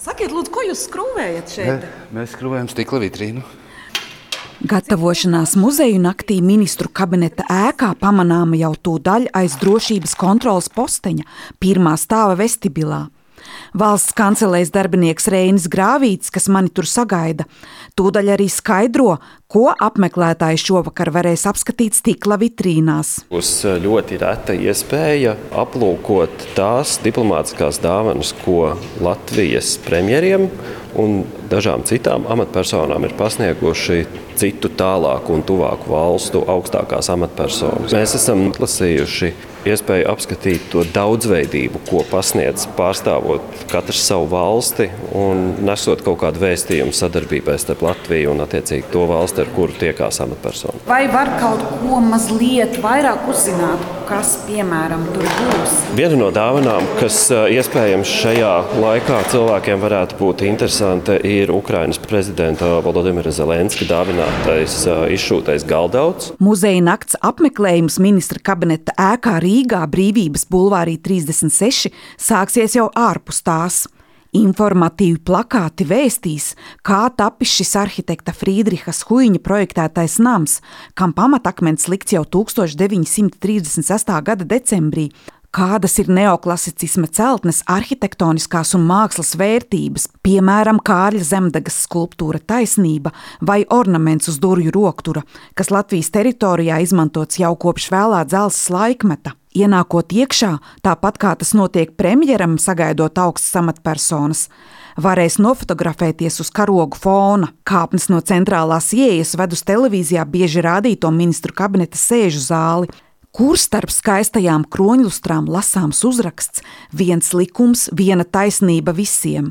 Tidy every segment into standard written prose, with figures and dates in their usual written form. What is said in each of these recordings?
Sakiet, lūdzu, ko jūs skrūvējat šeit? Mēs skrūvējam stikla vitrīnu. Gatavošanās muzeju naktī ministru kabineta ēkā pamanāma jau tūdaļ aiz drošības kontroles posteņa, pirmā stāva vestibilā. Valsts kancelēs darbinieks Reinis Grāvīts, kas mani tur sagaida, tūdaļ arī skaidro, ko apmeklētāji šovakar varēs apskatīt stikla vitrīnās. Būs ļoti reta iespēja aplūkot tās diplomātiskās dāvanas, ko Latvijas premjeriem un dažām citām amatpersonām ir pasnieguši citu tālāku un tuvāku valstu augstākās amatpersonas. Mēs esam atlasījuši iespēju apskatīt to daudzveidību, ko pasniedz pārstāvot katrs savu valsti un nesot kaut kādu vēstījumu sadarbībai starp Latviju un attiecīgi to valsti, ar kuru tiekās amatpersona. Vai var kaut ko mazliet vairāk uzzināt, kas, piemēram, tur būs? Viena no dāvanām, kas iespējams šajā laikā cilvēkiem varētu būt interesanta, ir Ukrainas prezidenta Volodimira Zelenska dāvinātais izšūtais galdauds. Muzeja nakts apmeklējums ministra kabineta ēkā Rīgā Brīvības bulvārī 36 sāksies jau ārpus tās. Informatīvi plakāti vēstīs, kā tapis šis arhitekta Frīdriha Skuiņa projektētais nams, kam pamatakmens likts jau 1936. gada decembrī, kādas ir neoklasicisma celtnes arhitektoniskās un mākslas vērtības, piemēram, Kārļa Zemdegas skulptūra Taisnība vai ornaments uz durvju roktura, kas Latvijas teritorijā izmantots jau kopš vēlā dzelzs laikmeta. Ienākot iekšā, tāpat kā tas notiek premjeram, sagaidot augstas amatpersonas, varēs nofotografēties uz karogu fona. Kāpnes no centrālās ieejas ved uz televīzijā bieži rādīto ministru kabineta sēžu zāli, kur starp skaistajām kroņlustrām lasāms uzraksts "Viens likums, viena taisnība visiem".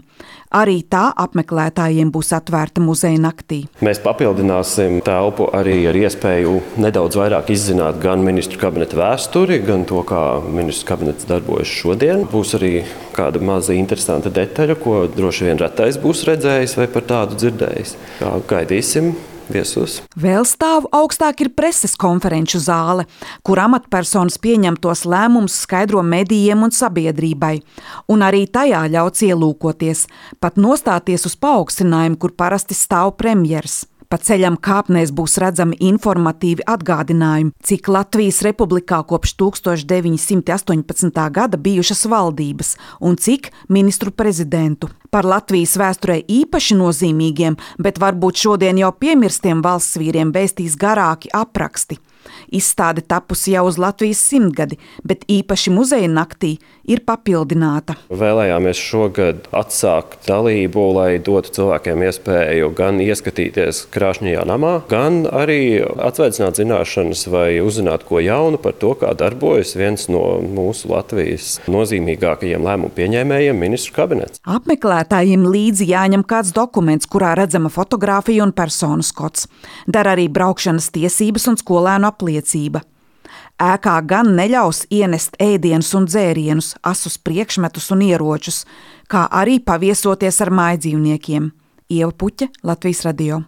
Arī tā apmeklētājiem būs atvērta muzeja naktī. Mēs papildināsim telpu arī ar iespēju nedaudz vairāk izzināt gan ministru kabineta vēsturi, gan to, kā ministru kabinets darbojas šodien. Būs arī kāda maza interesanta detaļa, ko droši vien retais būs redzējis vai par tādu dzirdējis. Gaidīsim viesus. Vēl stāvu augstāk ir preses konferenču zāle, kur amatpersonas pieņemtos lēmumus skaidro medijiem un sabiedrībai. Un arī tajā ļauts ielūkoties, pat nostāties uz paaugstinājumu, kur parasti stāv premjers. Pa ceļam kāpnēs būs redzami informatīvi atgādinājumi, cik Latvijas republikā kopš 1918. gada bijušas valdības un cik ministru prezidentu. Par Latvijas vēsturē īpaši nozīmīgiem, bet varbūt šodien jau piemirstiem valsts vīriem vēstīs garāki apraksti. Izstāde tapusi jau uz Latvijas 100-gadi, bet īpaši muzeja naktī ir papildināta. Vēlējāmies šogad atsākt dalību, lai dotu cilvēkiem iespēju gan ieskatīties krāšņajā namā, gan arī atsveicināt zināšanas vai uzzināt ko jaunu par to, kā darbojas viens no mūsu Latvijas nozīmīgākajiem lēmumu pieņēmējiem, ministru kabinets. Apmeklētājiem līdzi jāņem kāds dokuments, kurā redzama fotogrāfija un personu skots. Der arī braukšanas tiesības un skolēnu apliecība. Ēkā gan neļaus ienest ēdienus un dzērienus, asus priekšmetus un ieročus, kā arī paviesoties ar mājdzīvniekiem. Ieva Puķe, Latvijas radio.